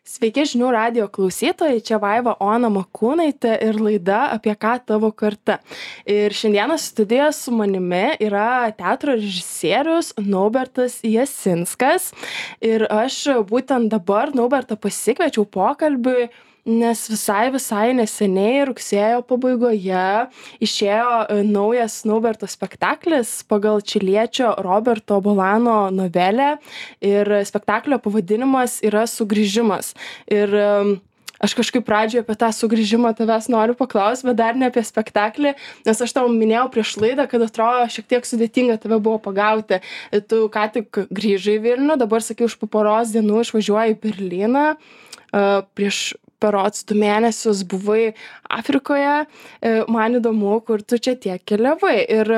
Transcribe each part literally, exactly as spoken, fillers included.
Sveiki žinių radijo klausytojai, čia Vaiva Ona Makūnaitė ir laida Apie ką tavo karta. Ir šiandieną studijoje su manimi yra teatro režisierius Naubertas Jasinskas. Ir aš būtent dabar Naubertą pasikviečiau pokalbiui, nes visai visai neseniai rugsėjo pabaigoje išėjo naujas Nauberto spektaklis pagal čiliečio Roberto Bolano novelę ir spektaklio pavadinimas yra Sugrįžimas. Ir aš kažkaip pradžioje apie tą sugrįžimą tavęs noriu paklausti, bet dar ne apie spektaklį, nes aš tau minėjau prieš laidą, kad atrodo šiek tiek sudėtinga tave buvo pagauti. Tu ką tik grįžai į Vilnių, dabar sakiau, už po poros dienų išvažiuoji į Berlyną. Prieš berods du mėnesius buvai Afrikoje. Man įdomu, kur tu čia tiek keliavai. Ir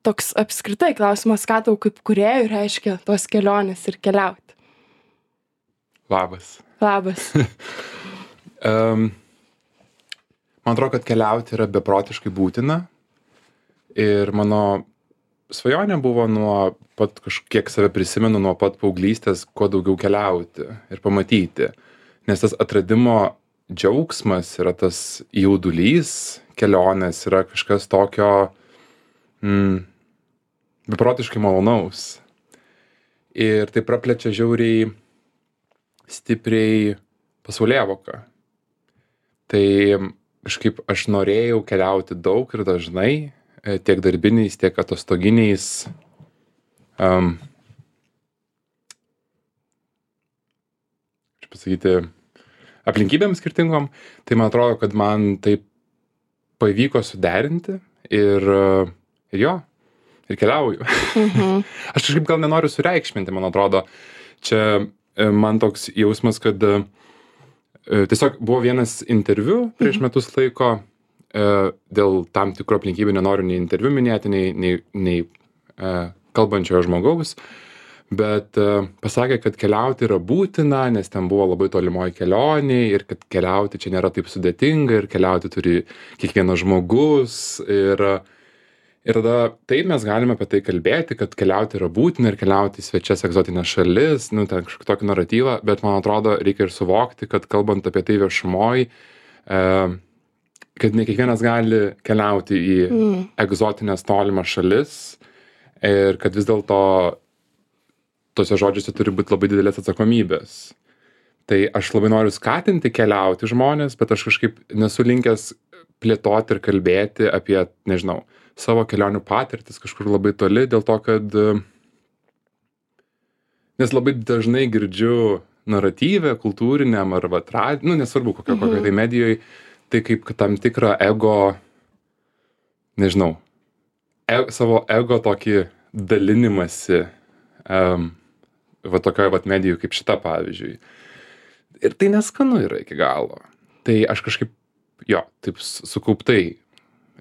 toks apskritai klausimas, ką tau kaip kūrėjui reiškia tos kelionės ir keliauti. Labas. Labas. um, man atrodo, kad keliauti yra beprotiškai būtina. Ir mano svajonė buvo nuo pat kažkiek save prisimenu, nuo pat paauglystės, kuo daugiau keliauti ir pamatyti. Nes tas atradimo džiaugsmas yra tas jaudulys kelionės, yra kažkas tokio mm, beprotiškai malonaus. Ir tai praplečia žiauriai stipriai pasaulėvoką. Tai kažkaip aš norėjau keliauti daug ir dažnai, tiek darbiniais, tiek atostoginiais. Um, aš pasakyti, aplinkybėm skirtingom, tai man atrodo, kad man taip pavyko suderinti ir, ir jo, ir keliauju. Mhm. Aš kažkaip gal nenoriu sureikšminti, man atrodo, čia man toks jausmas, kad tiesiog buvo vienas interviu prieš metus laiko, dėl tam tikrų aplinkybių nenoriu nei interviu minėti, nei, nei, nei kalbančiojo žmogaus, bet pasakė, kad keliauti yra būtina, nes ten buvo labai tolimoji kelionė ir kad keliauti čia nėra taip sudėtinga ir keliauti turi kiekvienas žmogus. Ir, ir tada taip mes galime apie tai kalbėti, kad keliauti yra būtina ir keliauti į svečias egzotinės šalis, nu, ten kažkokį tokį naratyvą, bet man atrodo, reikia ir suvokti, kad kalbant apie tai viešumoj, e, kad ne kiekvienas gali keliauti į mm. egzotinės tolimas šalis ir kad vis dėlto tose žodžiuose turi būti labai didelės atsakomybės. Tai aš labai noriu skatinti keliauti žmonės, bet aš kažkaip nesu linkęs plėtoti ir kalbėti apie, nežinau, savo kelionių patirtis kažkur labai toli, dėl to, kad nes labai dažnai girdžiu naratyvę, kultūriniam ar vat, nu, nesvarbu kokio, kokio tai medijoje, tai kaip tam tikrą ego, nežinau, e, savo ego tokį dalinimąsi um, va tokioje vat medijų kaip šita, pavyzdžiui. Ir tai neskanu yra iki galo. Tai aš kažkaip, jo, taip sukauptai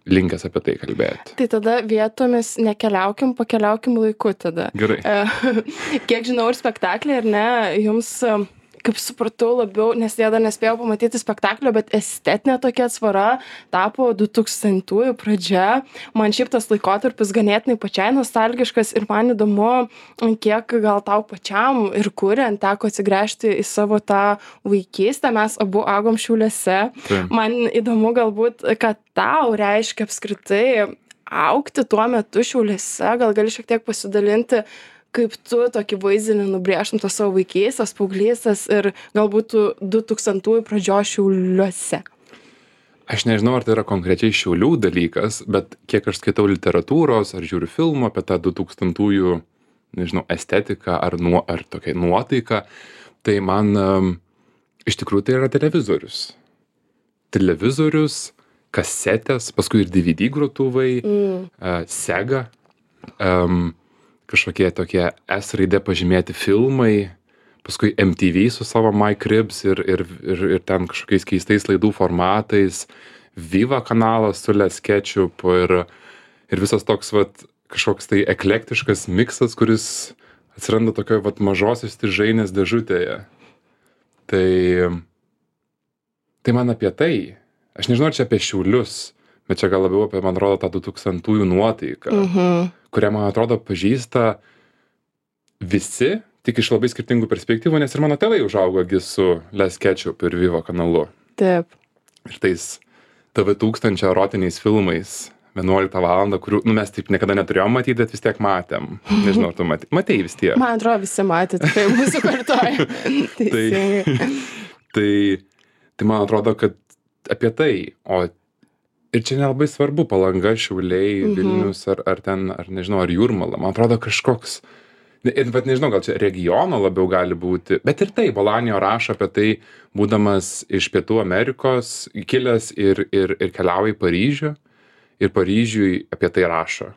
linkęs apie tai kalbėti. Tai tada vietomis nekeliaukim, pakeliaukim laiku tada. Gerai. Kiek žinau ir spektaklį, ar ne, jums, kaip supratau, labiau, nes jie dar nespėjau pamatyti spektaklio, bet estetinė tokia atsvara tapo du tūkstantųjų pradžia. Man šiaip tas laikotarpis ganėtinai pačiai nostalgiškas ir man įdomu, kiek gal tau pačiam ir kuriant teko atsigręžti į savo tą vaikystę. Mes abu augom Šiauliuose. Tai. Man įdomu galbūt, kad tau reiškia apskritai augti tuo metu Šiauliuose. Gal gali šiek tiek pasidalinti, kaip tu tokį vaizdinį nubrėžtum tos savo vaikystės, paauglystės ir galbūt du tūkstantųjų pradžios Šiauliuose. Aš nežinau, ar tai yra konkrečiai Šiaulių dalykas, bet kiek aš skaitau literatūros ar žiūriu filmų apie tą du tūkstantųjų, nežinau, estetiką ar, nuo, ar tokia nuotaika, tai man um, iš tikrųjų tai yra televizorius. Televizorius, kasetės, paskui ir D V D grotuvai, mm. uh, Sega, um, kažkokie tokie S raide pažymėti filmai, paskui M T V su savo My Cribs ir, ir, ir, ir ten kažkokiais keistais laidų formatais, Viva kanalas su Les Ketchup ir, ir visas toks vat, kažkoks tai eklektiškas miksas, kuris atsiranda tokioje vat, mažosios stižainės dėžutėje. Tai, tai man apie tai. Aš nežinau, čia apie Šiaulius, bet čia gal labiau apie, man atrodo, tą du tūkstantųjų nuotaiką, mhm. kurią, man atrodo, pažįsta visi, tik iš labai skirtingų perspektyvų, nes ir mano tėvai užaugo gi su Les Ketchup ir Viva kanalu. Taip. Ir tais T V tūkstančio erotiniais filmais vienuoliktą valandą, kurių, nu, mes taip niekada neturėjom matyti, bet vis tiek matėm. Nežinau, tu matei, matei vis tiek. Man atrodo, visi matė, tai mūsų kartoja. tai, tai, tai man atrodo, kad apie tai, o ir čia nelabai svarbu Palanga, Šiauliai, mhm. Vilnius ar, ar ten, ar nežinau, ar Jūrmala. Man atrodo kažkoks, bet nežinau, gal čia regiono labiau gali būti, bet ir tai, Bolanijo rašo apie tai, būdamas iš Pietų Amerikos, kilęs ir, ir, ir keliauja į Paryžių. Ir Paryžiui apie tai rašo.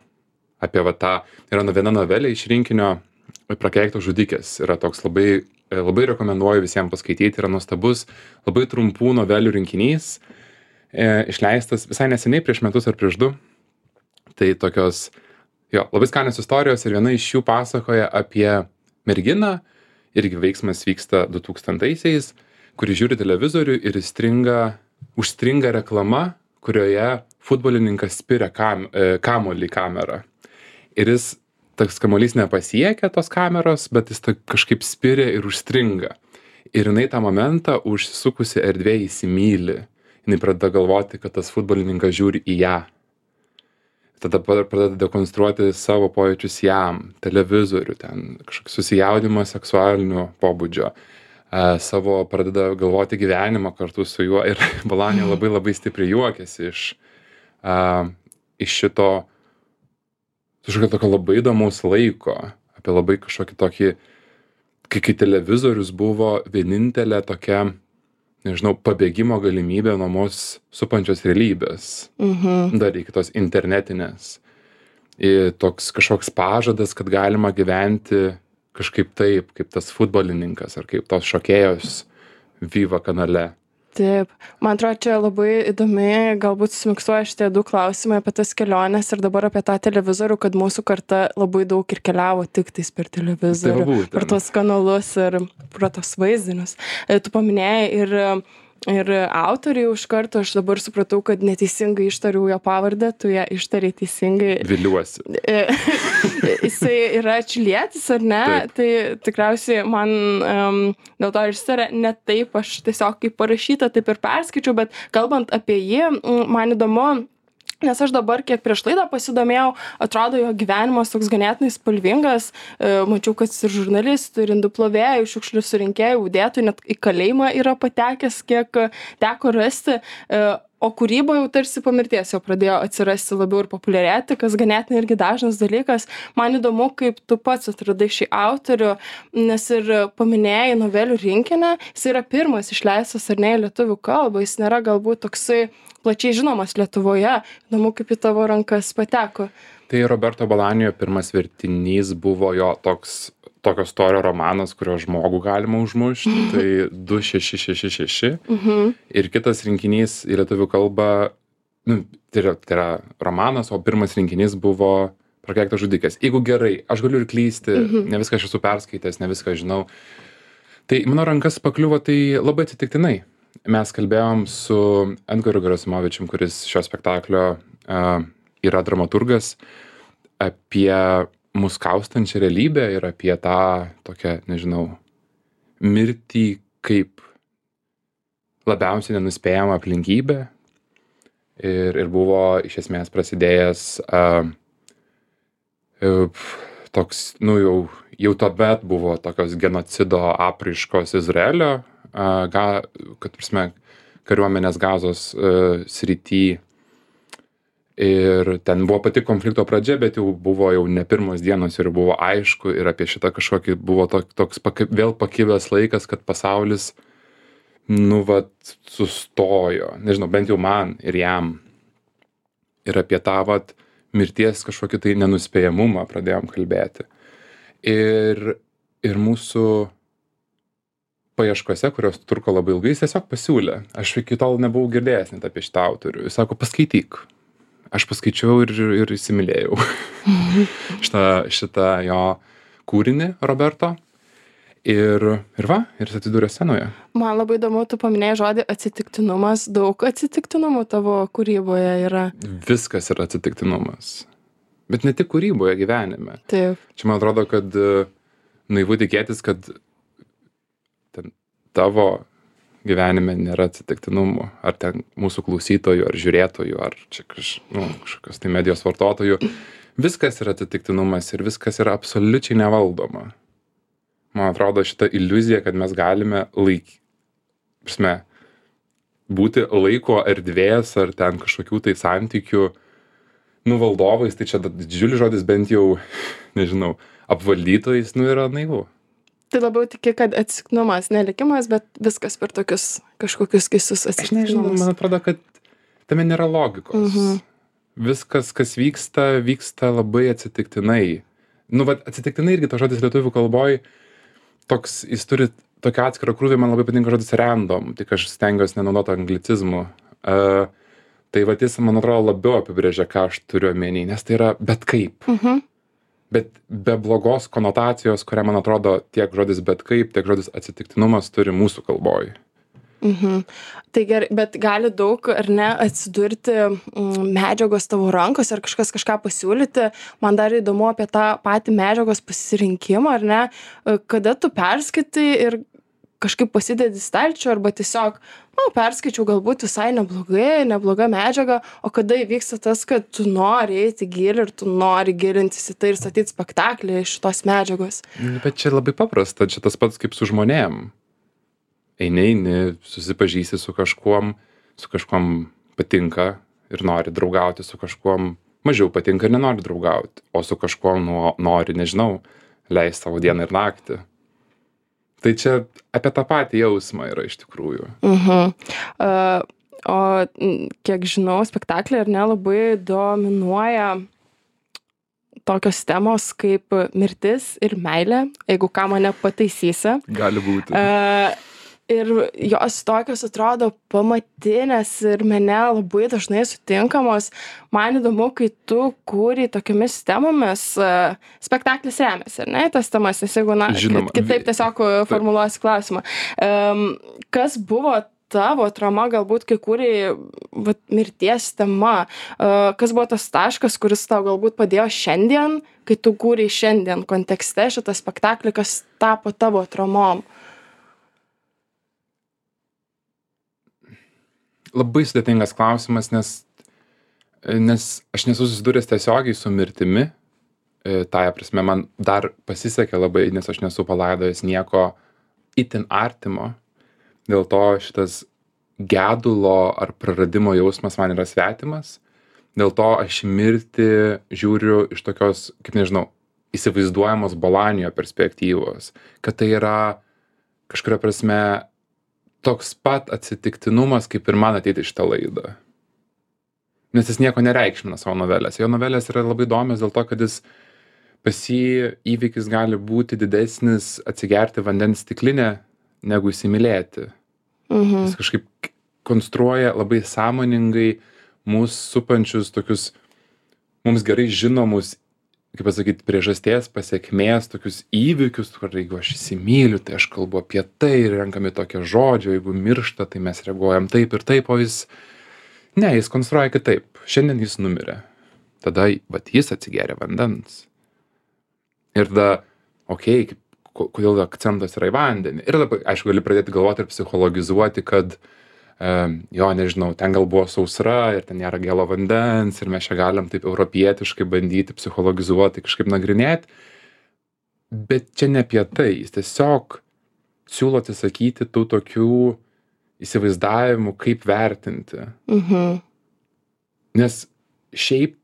Apie va tą, yra viena novelė iš rinkinio Prakeiktos žudikės. Yra toks labai, labai rekomenduoju visiems paskaityti, yra nuostabus, labai trumpų novelių rinkinys, e, išleistas visai neseniai, prieš metus ar prieš du. Tai tokios, jo, labai skanios istorijos ir viena iš jų pasakoja apie merginą, irgi veiksmas vyksta du tūkstantaisiais, kuri žiūri televizorių ir įstringa, užstringa reklama, kurioje futbolininkas spiria kam, kamuolį į kamerą. Ir jis, toks kamuolys nepasiekia tos kameros, bet jis kažkaip spiria ir užstringa. Ir jinai tą momentą užsisukusi erdvėje įsimyli. Jinai pradeda galvoti, kad tas futbolininkas žiūri į ją. Tada pradeda dekonstruoti savo pojūčius jam, televizorių, ten kažkokį susijaudimą seksualinio pobūdžio. Uh, savo pradeda galvoti gyvenimą kartu su juo ir Bolanijo labai labai stipriai juokiasi iš, uh, iš šito kažkokio tokio labai įdomaus laiko, apie labai kažkokį tokį, kai, kai televizorius buvo vienintelė tokia, nežinau, pabėgimo galimybė nuo mus supančios realybės, mhm. dar iki tos internetinės. Ir toks kažkoks pažadas, kad galima gyventi kažkaip taip, kaip tas futbolininkas ar kaip tos šokėjos Viva kanale. Taip, man atrodo, čia labai įdomi, galbūt sumiksuoja šitie du klausimai apie tas keliones ir dabar apie tą televizorių, kad mūsų karta labai daug ir keliavo tik tais per televizorių, tai per tuos kanalus ir per tos vaizdinius. Tu paminėjai ir Ir autoriai iš karto, aš dabar supratau, kad neteisingai ištariau jo pavardę, tu ją ištariai teisingai. Viliuosi. Jisai yra čilietis, ar ne? Taip. Tai tikriausiai man um, dėl to ištarė ne taip, aš tiesiog kaip parašyta, taip ir perskaičiau, bet kalbant apie jį, man įdomu, nes aš dabar, kiek prieš laidą pasidomėjau, atrodo, jo gyvenimas toks ganėtinai spalvingas. Mačiau, kad ir žurnalistų, ir indų plovėjų, šiukšlių surinkėjų, udėtų, net į kalėjimą yra patekęs, kiek teko rasti. O kūryba jau tarsi po mirties jau pradėjo atsirasti labiau ir populiarėti, kas ganėtinai irgi dažnas dalykas. Man įdomu, kaip tu pats atradai šį autorių, nes ir paminėjai novelių rinkinį, jis yra pirmas išleistas ar ne į lietuvių kalbą, jis nėra galbūt toksai plačiai žinomas Lietuvoje. Įdomu, kaip į tavo rankas pateko. Tai Roberto Bolanijo pirmas vertinys buvo jo toks, tokio storio romanas, kurio žmogų galima užmušti, tai du šeši šeši šeši. Mhm. Ir kitas rinkinys į lietuvių kalbą, nu, tai yra, tai yra romanas, o pirmas rinkinys buvo Prakeiktos žudikės. Jeigu gerai, aš galiu ir klysti, mhm. ne viską aš esu perskaitęs, ne viską žinau. Tai mano rankas pakliuvo tai labai atsitiktinai. Mes kalbėjom su Edgaru Gerasimovičium, kuris šio spektaklio uh, yra dramaturgas, apie mus kaustančią realybę ir apie tą tokią, nežinau, mirtį kaip labiausiai nenuspėjama aplinkybė. Ir, ir buvo iš esmės prasidėjęs uh, uh, toks, nu jau, jau tuomet buvo tokios genocido apraiškos Izraelio, uh, ga, kad prasme, kariuomenės Gazos uh, srity. Ir ten buvo pati konflikto pradžia, bet jau buvo jau ne pirmos dienos ir buvo aišku ir apie šitą kažkokį buvo to, toks paki, vėl pakibęs laikas, kad pasaulis, nu, vat, sustojo. Nežinau, bent jau man ir jam. Ir apie tą, vat, mirties kažkokį tai nenuspėjamumą pradėjom kalbėti. Ir, ir mūsų paieškose, kurios truko labai ilgai, jis tiesiog pasiūlė. Aš iki tol nebuvau girdėjęs net apie šitą autorių. Jis sako, paskaityk. Aš paskaičiau ir, ir įsimylėjau šitą, šitą jo kūrinį Roberto. Ir, ir va, ir jis atsidūrė scenoje. Man labai įdomu, tu paminėjai žodį atsitiktinumas. Daug atsitiktinumų tavo kūryboje yra. Viskas yra atsitiktinumas. Bet ne tik kūryboje, gyvenime. Taip. Čia man atrodo, kad naivu tikėtis, kad ten tavo gyvenime nėra atsitiktinumų, ar ten mūsų klausytojų, ar žiūrėtojų, ar čia kaž, nu, kažkokios tai medijos vartotojų. Viskas yra atsitiktinumas ir viskas yra absoliučiai nevaldoma. Man atrodo, šita iliuzija, kad mes galime laik, prasme, būti laiko erdvės ar ten kažkokių tai santykių nuvaldovais, tai čia didžiulis žodis, bent jau, nežinau, apvaldytojais, nu yra naivu. Tai labiau tiki, kad atsitiktinumas, ne likimas, bet viskas per tokius kažkokius keistus atsitiktinumus. Aš nežinau, man atrodo, kad tame nėra logikos. Mhm. Viskas, kas vyksta, vyksta labai atsitiktinai. Nu, bet atsitiktinai irgi to žodis lietuvių kalboj, toks, jis turi tokį atskirą krūvį, man labai patinka žodis random, tik aš stengiuosi nenaudoti anglicizmų. Uh, tai va, jis, man atrodo, labiau apibrėžia, ką aš turiu omeny, nes tai yra bet kaip. Mhm. Bet be blogos konotacijos, kurią, man atrodo, tiek žodis bet kaip, tiek žodis atsitiktinumas turi mūsų kalboj. Mhm. Tai gerai, bet gali daug, ar ne, atsidurti mm, medžiagos tavo rankos, ar kažkas kažką pasiūlyti. Man dar įdomu apie tą patį medžiagos pasirinkimą, ar ne, kada tu perskaitai ir kažkaip pasidedi stalčių, arba tiesiog, nu, perskaičiau galbūt visai neblogai, nebloga medžiaga, o kada įvyksta tas, kad tu nori eiti gilį ir tu nori gilintis į tai ir statyti spektaklį iš šitos medžiagos. Bet čia labai paprasta, čia tas pats kaip su žmonėm. Eini, eini, susipažįsi su kažkuom, su kažkuom patinka ir nori draugauti, su kažkuom mažiau patinka ir nenori draugauti, o su kažkuom nu, nori, nežinau, leisti savo dieną ir naktį. Tai čia apie tą patį jausmą yra iš tikrųjų. Mhm. Uh, o kiek žinau, spektaklį ar ne labai dominuoja tokios temos kaip mirtis ir meilė, jeigu ką mane pataisysi. Gali būti. Uh, ir jos tokios atrodo pamatinės ir mene labai dažnai sutinkamos. Man įdomu, kai tu kūrei tokiamis temomis, uh, spektaklis remiasi, ar ne, tas temas, nes jeigu, na, Žinoma. kitaip tiesiog formuluosiu klausimą. Um, kas buvo tavo atrama, galbūt, kai kūrei vat, mirties tema, uh, kas buvo tas taškas, kuris tau galbūt padėjo šiandien, kai tu kūrei šiandien kontekste šitą spektaklį, kas tapo tavo atramom? Labai sudėtingas klausimas, nes, nes aš nesu susidūręs tiesiogiai su mirtimi. Tąja prasme, man dar pasisekė labai, nes aš nesu palaidojęs nieko itin artimo. Dėl to šitas gedulo ar praradimo jausmas man yra svetimas. Dėl to aš mirtį žiūriu iš tokios, kaip nežinau, įsivaizduojamos Bolanijo perspektyvos. Kad tai yra kažkuria prasme toks pat atsitiktinumas, kaip ir man ateiti šitą laidą. Nes jis nieko nereikšmina savo novelės. Jo novelės yra labai įdomios dėl to, kad jis pas jį įvykis gali būti didesnis atsigerti vandens stiklinę, negu įsimylėti. Mhm. Jis kažkaip konstruoja labai sąmoningai mūsų supančius tokius mums gerai žinomus, kaip pasakyti, priežasties, pasekmės, tokius įvykius, kur jeigu aš įsimyliu, tai aš kalbu apie tai ir renkami tokie žodžiai, jeigu miršta, tai mes reaguojam taip ir taip, o jis, ne, jis konstruoja kitaip. Šiandien jis numirė. Tada, vat, jis atsigeria vandens. Ir tada, okei, okay, kodėl akcentas yra į vandenį. Ir tada, aišku, gali pradėti galvoti ir psichologizuoti, kad jo, nežinau, ten gal buvo sausra ir ten nėra gėlo vandens ir mes čia galim taip europietiškai bandyti psichologizuoti, kažkaip nagrinėti. Bet čia ne apie tai. Jis tiesiog siūlo atsisakyti tų tokių įsivaizdavimų, kaip vertinti. Mhm. Nes šiaip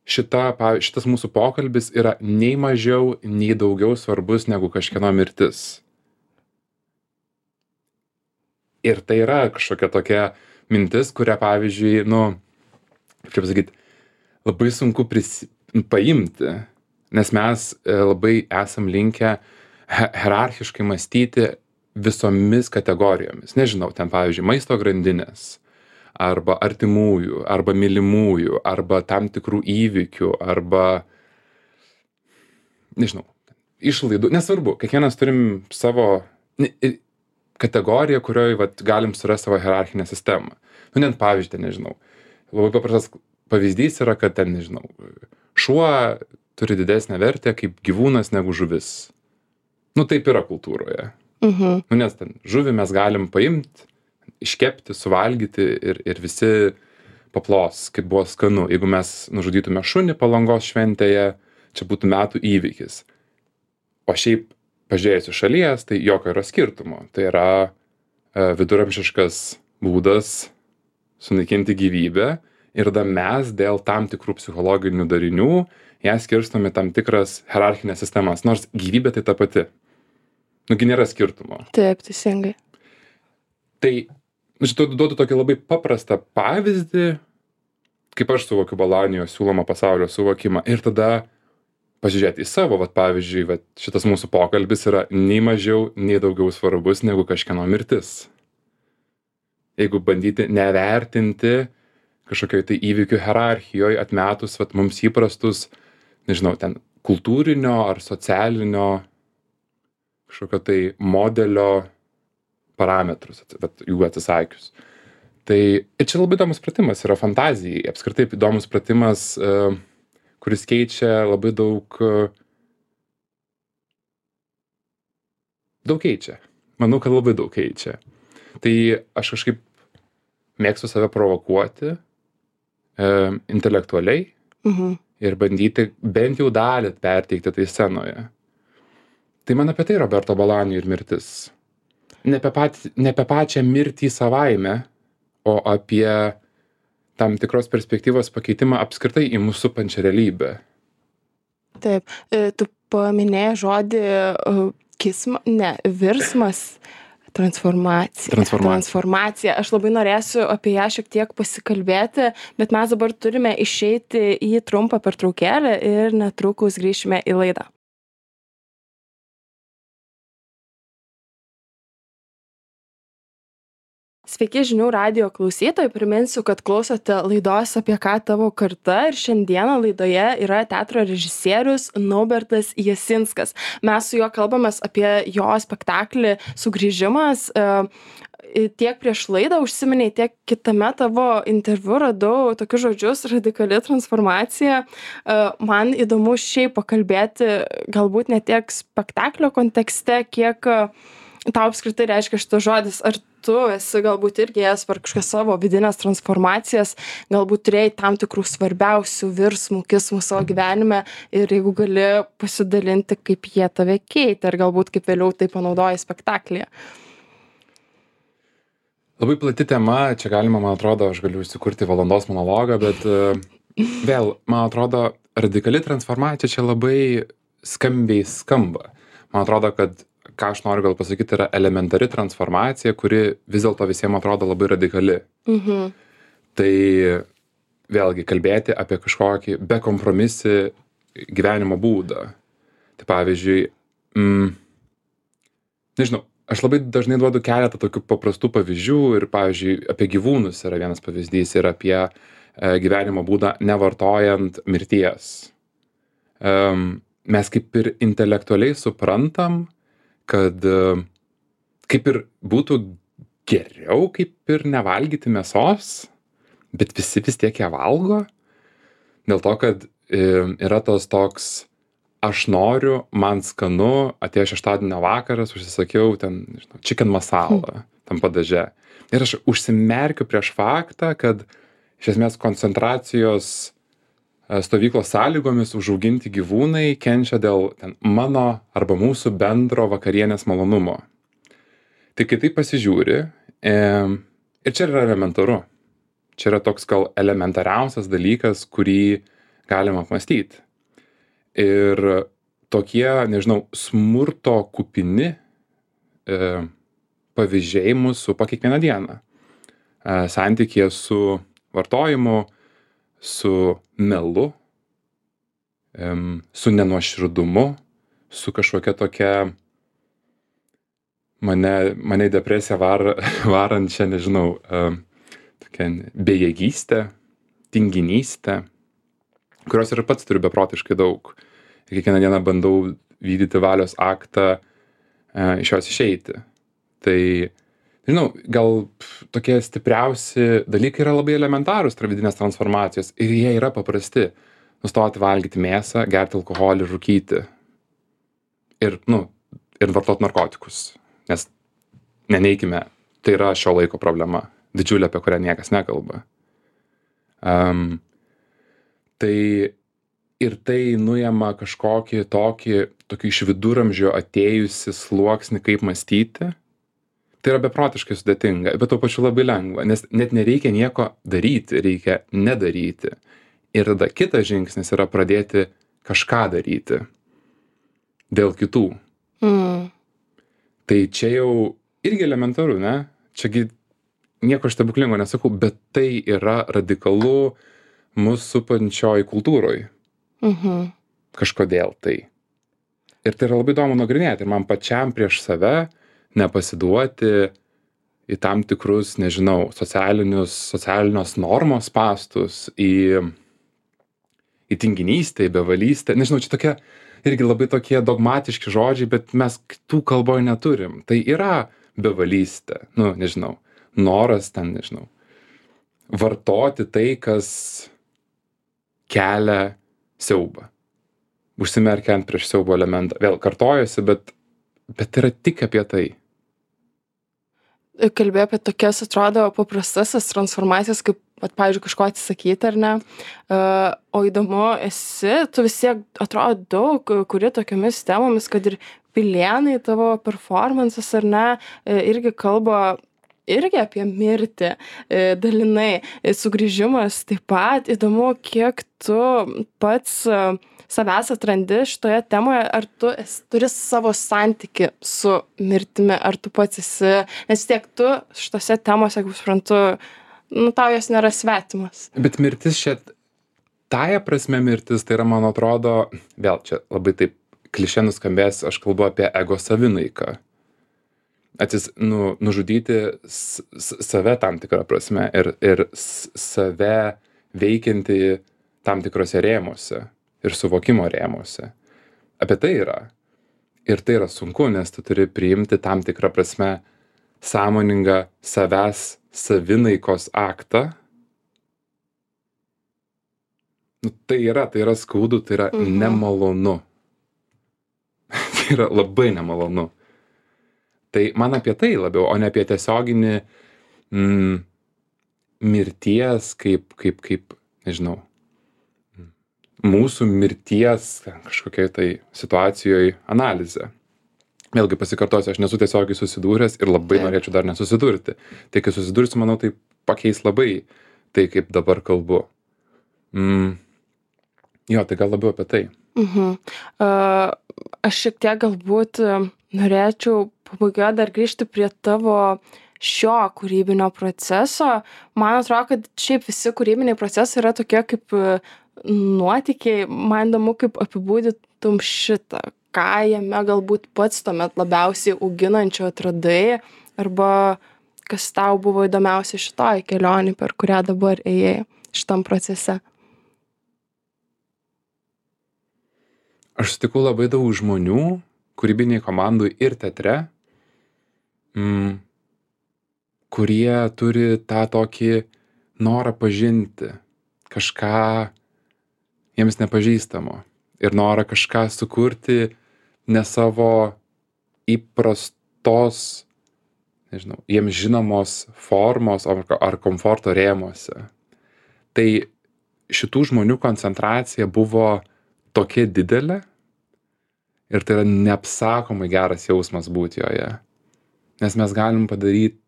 šita, šitas mūsų pokalbis yra nei mažiau, nei daugiau svarbus negu kažkieno mirtis. Ir tai yra kažkokia tokia mintis, kurią, pavyzdžiui, nu, kaip čia pasakyti, labai sunku prisi, paimti, nes mes labai esam linkę hierarchiškai mąstyti visomis kategorijomis. Nežinau, ten, pavyzdžiui, maisto grandinės, arba artimųjų, arba mylimųjų, arba tam tikrų įvykių, arba, nežinau, išlaidų. Nesvarbu, kiekvienas turim savo kategoriją, kurioje vat, galim surasti savo hierarchinę sistemą. Nu, net pavyzdžiui, nežinau. Labai paprastas pavyzdys yra, kad ten, nežinau, šuo turi didesnę vertę kaip gyvūnas negu žuvis. nu taip yra kultūroje. Mhm. Nu, nes ten žuvį mes galim paimti, iškepti, suvalgyti ir, ir visi paplos, kaip buvo skanu. Jeigu mes nužudytume šunį Palangos šventėje, čia būtų metų įvykis. O šiaip, pažiūrėjus iš šalies, tai jokio yra skirtumo. Tai yra e, viduramžiškas būdas sunaikinti gyvybę ir tada mes dėl tam tikrų psichologinių darinių ją skirstome tam tikras hierarchinės sistemas, nors gyvybė tai ta pati. Nugi nėra skirtumo. Taip, teisingai. Tai, nu, šitą duodu tokį labai paprastą pavyzdį, kaip aš suvokiu Balanijos siūlomą pasaulio suvokimą. Ir tada pažiūrėti į savo, vat, pavyzdžiui, vat, šitas mūsų pokalbis yra nei mažiau, nei daugiau svarbus negu kažkieno mirtis. Jeigu bandyti nevertinti kažkokioj tai įvykių hierarchijoje atmetus vat, mums įprastus, nežinau, ten kultūrinio ar socialinio kažkokio tai modelio parametrus, vat, jų atsisakius. Tai ir čia labai įdomus pratimas yra fantazijai, apskritai įdomus pratimas, uh, kuris keičia labai daug, uh, daug keičia. Manau, kad labai daug keičia. Tai aš kažkaip mėgstu save provokuoti uh, intelektualiai Mhm. ir bandyti bent jau dalį perteikti tai scenoje. Tai man apie tai Roberto Balanijo ir mirtis. Ne apie, pat, ne apie pačią mirtį savaime, o apie tam tikros perspektyvos pakeitimą apskritai į mūsų supančią realybę. Taip, e, tu paminėjai žodį uh, kisma, ne, virsmas, transformacija. Transformacija. Transformacija. Aš labai norėsiu apie ją šiek tiek pasikalbėti, bet mes dabar turime išeiti į trumpą pertraukėlę ir netrukus grįšime į laidą. Sveiki žinių radijo klausytojai, priminsiu, kad klausote laidos Apie ką tavo karta ir šiandieną laidoje yra teatro režisierius Naubertas Jasinskas. Mes su juo kalbamės apie jo spektaklį Sugrįžimas. Tiek prieš laidą užsiminiai, tiek kitame tavo interviu radau tokius žodžius radikali transformacija. Man įdomu šiaip pakalbėti galbūt ne tiek spektaklio kontekste, kiek tau apskritai reiškia šitas žodis. Ar tu esi galbūt irgi ėjęs per kažkokias savo vidinės transformacijas, galbūt turėjai tam tikrų svarbiausių virsmų, kismų savo gyvenime ir jeigu gali pasidalinti, kaip jie tave keitė ir galbūt kaip vėliau tai panaudoji spektaklyje. Labai plati tema, čia galima, man atrodo, aš galiu įsikurti valandos monologą, bet uh, vėl, man atrodo, radikali transformacija čia labai skambiai skamba. Man atrodo, kad ką aš noriu gal pasakyti, yra elementari transformacija, kuri vis dėlto visiems atrodo labai radikali. Mhm. Tai vėlgi kalbėti apie kažkokį bekompromisį gyvenimo būdą. Tai pavyzdžiui, mm, nežinau, aš labai dažnai duodu keletą tokių paprastų pavyzdžių ir, pavyzdžiui, apie gyvūnus yra vienas pavyzdys ir apie e, gyvenimo būdą nevartojant mirties. Um, mes kaip ir intelektualiai suprantam, kad kaip ir būtų geriau kaip ir nevalgyti mėsos, bet visi vis tiek ją valgo, dėl to, kad yra tos toks, aš noriu, man skanu, atėjo šeštadienio vakaras, užsisakiau ten, nežinau, chicken masala tam padaže. Ir aš užsimerkiu prieš faktą, kad iš esmės koncentracijos stovyklos sąlygomis užauginti gyvūnai kenčia dėl ten, mano arba mūsų bendro vakarienės malonumo. Tai kai tai pasižiūri, e, ir čia yra elementaru. Čia yra toks gal elementariausias dalykas, kurį galima apmąstyti. Ir tokie, nežinau, smurto kupini e, pavyzdžiai mūsų supa kiekvieną dieną. E, santykėje su vartojimu, su melu, su nenuoširdumu, su kažkokia tokia mane, mane į depresiją var, varančią, nežinau, tokia bejėgystė, tinginystė, kurios ir pats turiu beprotiškai daug. Ir kiekvieną dieną bandau vykdyti valios aktą iš jos išeiti. Tai žinau, gal tokie stipriausi dalykai yra labai elementarūs vidinės transformacijos ir jie yra paprasti. Nustoti valgyti mėsą, gerti alkoholį, rūkyti. Ir, nu, ir vartot narkotikus, nes neneikime, tai yra šio laiko problema, didžiulė, apie kurią niekas nekalba. Um, tai ir tai nuima kažkokį tokį, tokį iš viduramžio atėjusi sluoksnį, kaip mąstyti. Tai yra beprotiškai sudėtinga, bet tuo pačiu labai lengva, nes net nereikia nieko daryti, reikia nedaryti. Ir tada kitas žingsnis yra pradėti kažką daryti dėl kitų. Mm. Tai čia jau irgi elementaru, ne? Čiagi nieko stebuklingo nesakau, bet tai yra radikalu mus supančioj kultūroj. Mhm. Kažkodėl tai. Ir tai yra labai įdomu nagrinėti. Ir man pačiam prieš save nepasiduoti į tam tikrus, nežinau, socialinius, socialinios normos spąstus, į, į tinginystę, į bevalystę. Nežinau, čia tokie irgi labai tokie dogmatiški žodžiai, bet mes kitų kalboj neturim. Tai yra bevalystė. Nu, nežinau, noras ten, nežinau, vartoti tai, kas kelia siaubą. Užsimerkiant prieš siaubo elementą. Vėl kartojosi, bet, bet yra tik apie tai. Kalbėjau apie tokias, atrodo, paprastas transformacijas, kaip, at, pavyzdžiui, kažko atsisakyti, ar ne? Uh, o įdomu, esi, tu vis tiek, atrodo, daug, kuri tokiamis temomis, kad ir Pilėnai, tavo performances, ar ne, irgi kalba irgi apie mirtį, dalinai, sugrįžimas taip pat. Įdomu, kiek tu pats savęs atrandi šitoje temoje, ar tu esi, turi savo santyki su mirtimi, ar tu pats esi, nes tiek tu šitose temose, kaip suprantu, nu, tau jos nėra svetimas. Bet mirtis čia, tąja prasme mirtis, tai yra, man atrodo, vėl čia labai taip klišė nuskambės, aš kalbu apie ego savinaiką. Atsis, nu, nužudyti s, s, save tam tikrą prasme ir, ir s, save veikianti tam tikrose rėmuose ir suvokimo rėmuose. Apie tai yra. Ir tai yra sunku, nes tu turi priimti tam tikrą prasme sąmoningą savęs savinaikos aktą. Nu, tai yra, tai yra skaudu, tai yra mhm. nemalonu. Tai yra labai nemalonu. Tai man apie tai labiau, o ne apie tiesioginį mm, mirties kaip, kaip, kaip, nežinau, mūsų mirties kažkokiai tai situacijoje analizę. Vėlgi pasikartosiu, aš nesu tiesiogiai susidūręs ir labai Taip. norėčiau dar nesusidurti. Tai kai susidursiu, manau, tai pakeis labai tai, kaip dabar kalbu. Mm, jo, tai gal labiau apie tai. Mhm. Uh, aš šiek tiek galbūt norėčiau pabaigoje dar grįžti prie tavo šio kūrybinio proceso. Man atrodo, kad šiaip visi kūrybiniai procesai yra tokie kaip nuotykiai. Man įdomu, kaip apibūdytum šitą. Ką jame galbūt pats tuomet labiausiai auginančio atradai, arba kas tau buvo įdomiausia šitoj kelionėj, per kurią dabar ėjai šitam procese. Aš sutikau labai daug žmonių, kūrybiniai komandai ir teatre, mm, kurie turi tą tokį norą pažinti kažką jiems nepažįstamo ir norą kažką sukurti ne savo įprastos, nežinau, jiems žinomos formos ar, ar komforto rėmuose. Tai šitų žmonių koncentracija buvo tokia didelė, ir tai yra neapsakomai geras jausmas būti joje. Nes mes galim padaryti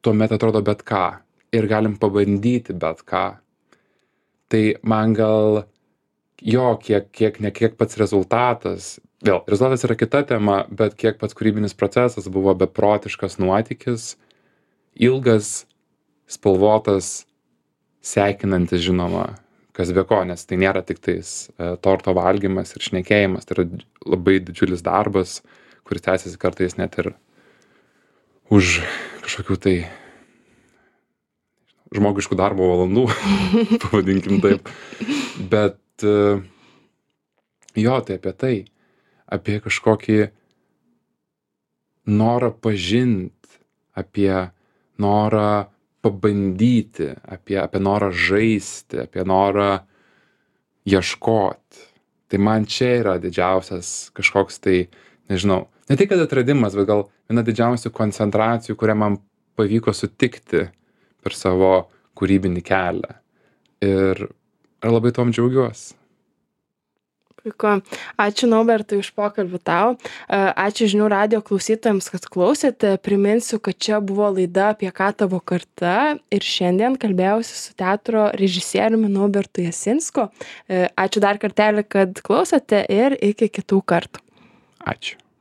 tuomet atrodo bet ką. Ir galim pabandyti bet ką. Tai man gal jo, kiek, kiek, ne kiek pats rezultatas. Vėl, rezultatas yra kita tema, bet kiek pats kūrybinis procesas buvo beprotiškas nuotykis, ilgas, spalvotas, sekinantis, žinoma, kas be ko, nes tai nėra tik tais e, torto valgymas ir šnekėjimas, tai yra labai didžiulis darbas, kuris tęsiasi kartais net ir už kažkokių tai žmogiškų darbo valandų, pavadinkim taip. Bet e, jo, tai apie tai, apie kažkokį norą pažint, apie norą pabandyti, apie, apie norą žaisti, apie norą ieškoti. Tai man čia yra didžiausias kažkoks tai, nežinau, ne tai, kad atradimas, bet gal viena didžiausių koncentracijų, kurią man pavyko sutikti per savo kūrybinį kelią. Ir aš labai tom džiaugiuosi. Puiku. Ačiū Naubertai už pokalbį tau. Ačiū žinių radijo klausytojams, kad klausėte. Priminsiu, kad čia buvo laida Apie ką tavo karta ir šiandien kalbėjausi su teatro režisieriumi Naubertu Jasinsku. Ačiū dar kartelį, kad klausėte ir iki kitų kartų. Ačiū.